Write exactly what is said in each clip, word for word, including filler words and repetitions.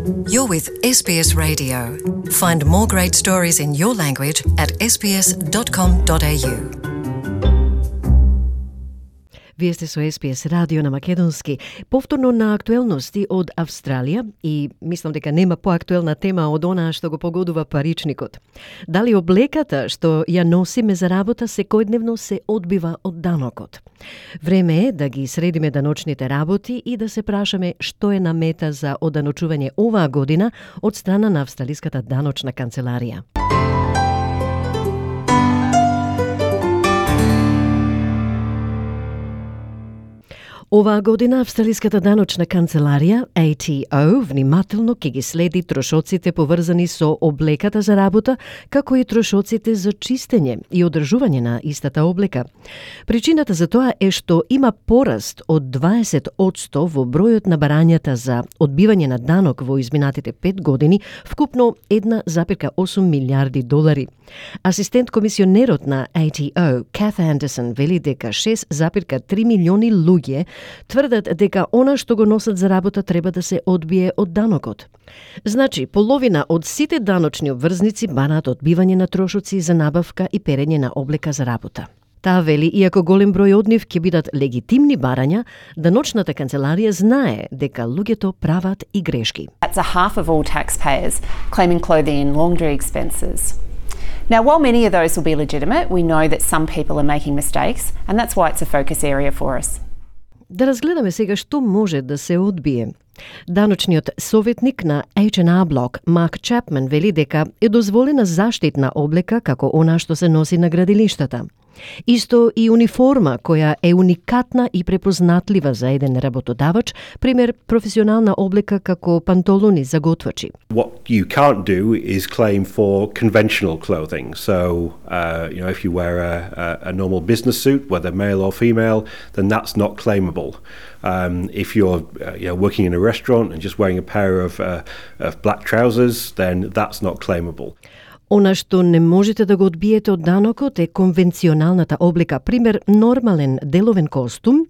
You're with S B S Radio. Find more great stories in your language at s b s dot com dot a u. Вие сте со С Б С радио на македонски. Повторно на актуелности од Австралија и мислам дека нема поактуелна тема од онаа што го погодува паричникот. Дали облеката што ја носиме за работа секојдневно се одбива од данокот? Време е да ги средиме даночните работи и да се прашаме што е на мета за оданочување оваа година од страна на Австралиската даночна канцеларија. Оваа година Австралиската даночна канцеларија А T O внимателно ќе ги следи трошоците поврзани со облеката за работа, како и трошоците за чистење и одржување на истата облека. Причината за тоа е што има пораст од дваесет одсто во бројот на барањата за одбивање на данок во изминатите пет години, вкупно една запирка осум милиарди долари. Асистент комисионерот на А T O, Kath Anderson, вели дека шест запирка три милиони луѓе тврдат дека она што го носат за работа треба да се одбие од данокот. Значи, половина од сите даночни обврзници бараат одбивање на трошоци за набавка и перење на облека за работа. Таа вели, иако голем број од нив ќе бидат легитимни барања, даночната канцеларија знае дека луѓето прават и грешки. That's a half of all taxpayers claiming clothing and laundry expenses. Now, while many of those will be legitimate, we know that some people are making mistakes, and that's why it's a focus area for us. Да разгледаме сега што може да се одбие. Даночниот советник на H and R Block, Марк Чапман, вели дека е дозволена заштитна облека како она што се носи на градилиштата. Исто и униформа која е уникатна и препознатлива за еден работодавач, пример професионална облека како пантолони за готвачи. What you can't do is claim for conventional clothing. So, uh, you know, if you wear a, a, a normal business suit, whether male or female, then that's not claimable. Um, if you're uh, you know, working in a restaurant and just wearing a pair of, uh, of black trousers, then that's not claimable. Она што не можете да го одбиете од данокот е конвенционалната облека, пример нормален деловен костум,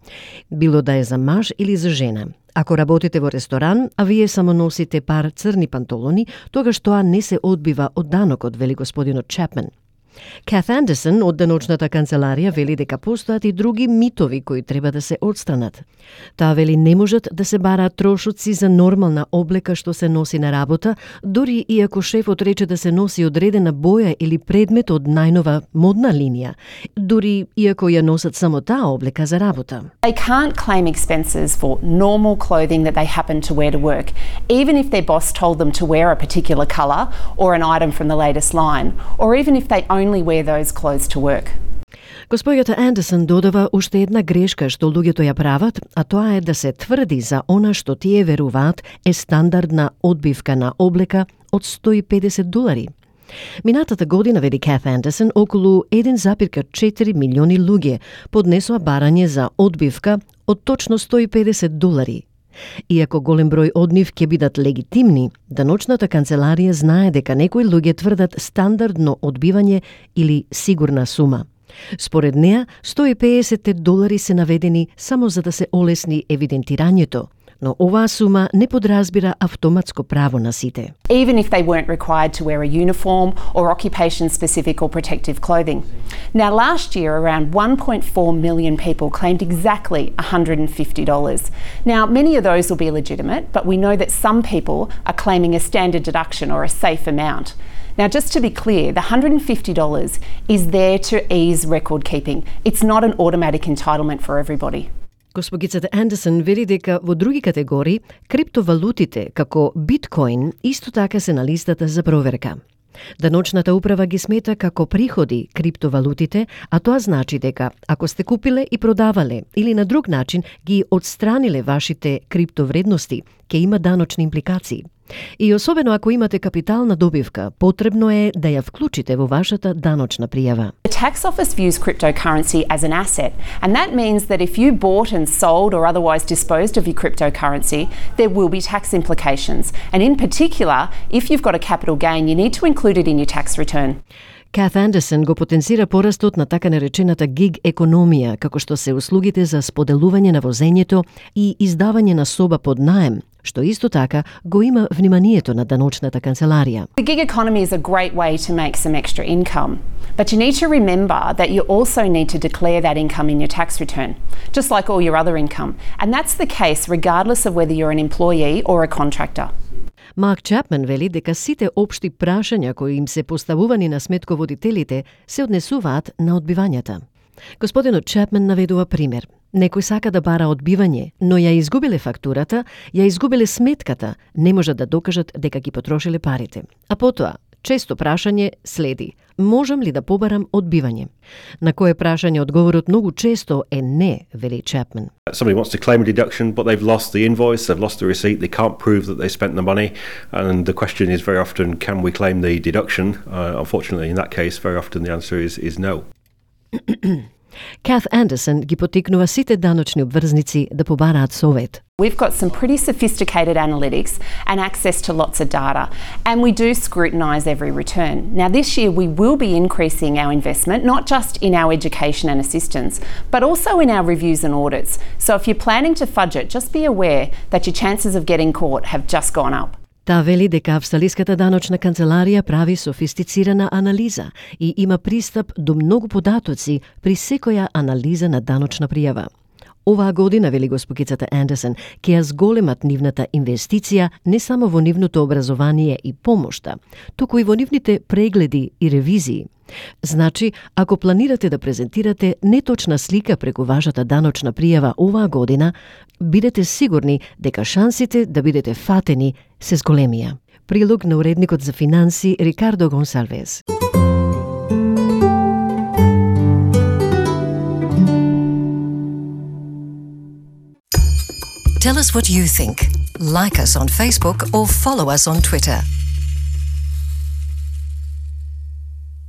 било да е за маж или за жена. Ако работите во ресторан, а вие само носите пар црни пантолони, тогаш тоа не се одбива од данокот, вели господинот Чапман. Kath Anderson од даночната канцеларија вели дека постојат и други митови кои треба да се отстранат. Таа вели не можат да се бараат трошоци за нормална облека што се носи на работа, дури и ако шефот рече да се носи одредена боја или предмет од најнова модна линија, дури и ако ја носат само таа облека за работа. They can't claim expenses for normal clothing that they happen to wear to work, even if their boss told them to wear a particular colour or an item from the latest line, or even if they only wear those clothes to work. Господјата Андерсон додава уште една грешка што луѓето ја прават, а тоа е да се тврди за она што тие веруваат е стандардна одбивка на облека од сто и педесет долари. Минатата година, вели Kath Anderson, околу еден запирка четири милиони луѓе поднесоа барање за одбивка од точно сто и педесет долари. Иако голем број од нив ќе бидат легитимни, даночната канцеларија знае дека некои луѓе тврдат стандардно одбивање или сигурна сума. Според неа, сто и педесет долари се наведени само за да се олесни евидентирањето, но оваа сума не подразбира автоматско право на сите. Even if they weren't required to wear a uniform or occupation-specific or protective clothing. Now, last year, around one point four million people claimed exactly one hundred fifty dollars. Now, many of those will be legitimate, but we know that some people are claiming a standard deduction or a safe amount. Now, just to be clear, the one hundred fifty dollars is there to ease record keeping. It's not an automatic entitlement for everybody. Госпогицата Андерсон вели дека во други категории криптовалутите, како биткоин, исто така се на листата за проверка. Даночната управа ги смета како приходи криптовалутите, а тоа значи дека ако сте купиле и продавале или на друг начин ги отстраниле вашите криптовредности, ќе има даночни импликации. И особено ако имате капитална добивка, потребно е да ја вклучите во вашата даночна пријава. The tax office views cryptocurrency as an asset, and that means that if you bought and sold or otherwise disposed of your cryptocurrency, there will be tax implications. And in particular, if you've got a capital gain, you need to include it in your tax return. Kath Anderson го потенцира порастот на така наречената гиг економија, како што се услугите за споделување на возењето и издавање на соба под наем, што исто така го има вниманието на даночната канцеларија. The gig economy is a great way to make some extra income, but you need to remember that you also need to declare that income in your tax return, just like all your other income. And that's the case regardless of whether you're an employee or a contractor. Марк Чапман вели дека сите општи прашања кои им се поставувани на сметководителите се однесуваат на одбивањата. Господинот Чапман наведува пример. Некој сака да бара одбивање, но ја изгубиле фактурата, ја изгубиле сметката, не можат да докажат дека ги потрошиле парите. А потоа, често прашање следи: можам ли да побарам одбивање? На кое прашање одговорот многу често е не, вели Чапман. Somebody wants to claim a deduction, but they've lost the invoice, they've lost the receipt, they can't prove that they spent the money, and the question is very often, can we claim the deduction? Uh, unfortunately, in that case, very often the answer is, is no. Kath Anderson ги потикнува сите даночни обврзници да побараат совет. We've got some pretty sophisticated analytics and access to lots of data, and we do scrutinise every return. Now this year we will be increasing our investment, not just in our education and assistance, but also in our reviews and audits. So if you're planning to fudge it, just be aware that your chances of getting caught have just gone up. Таа вели дека Австралиската даночна канцеларија прави софистицирана анализа и има пристап до многу податоци при секоја анализа на даночна пријава. Оваа година, вели госпогицата Андерсон, ќе ја зголемат нивната инвестиција не само во нивното образование и помошта, туку и во нивните прегледи и ревизии. Значи, ако планирате да презентирате неточна слика преку вашата даночна пријава оваа година, бидете сигурни дека шансите да бидете фатени се зголемија. Прилог на уредникот за финанси Рикардо Гонсалвес. Tell us what you think. Like us on Facebook or follow us on Twitter.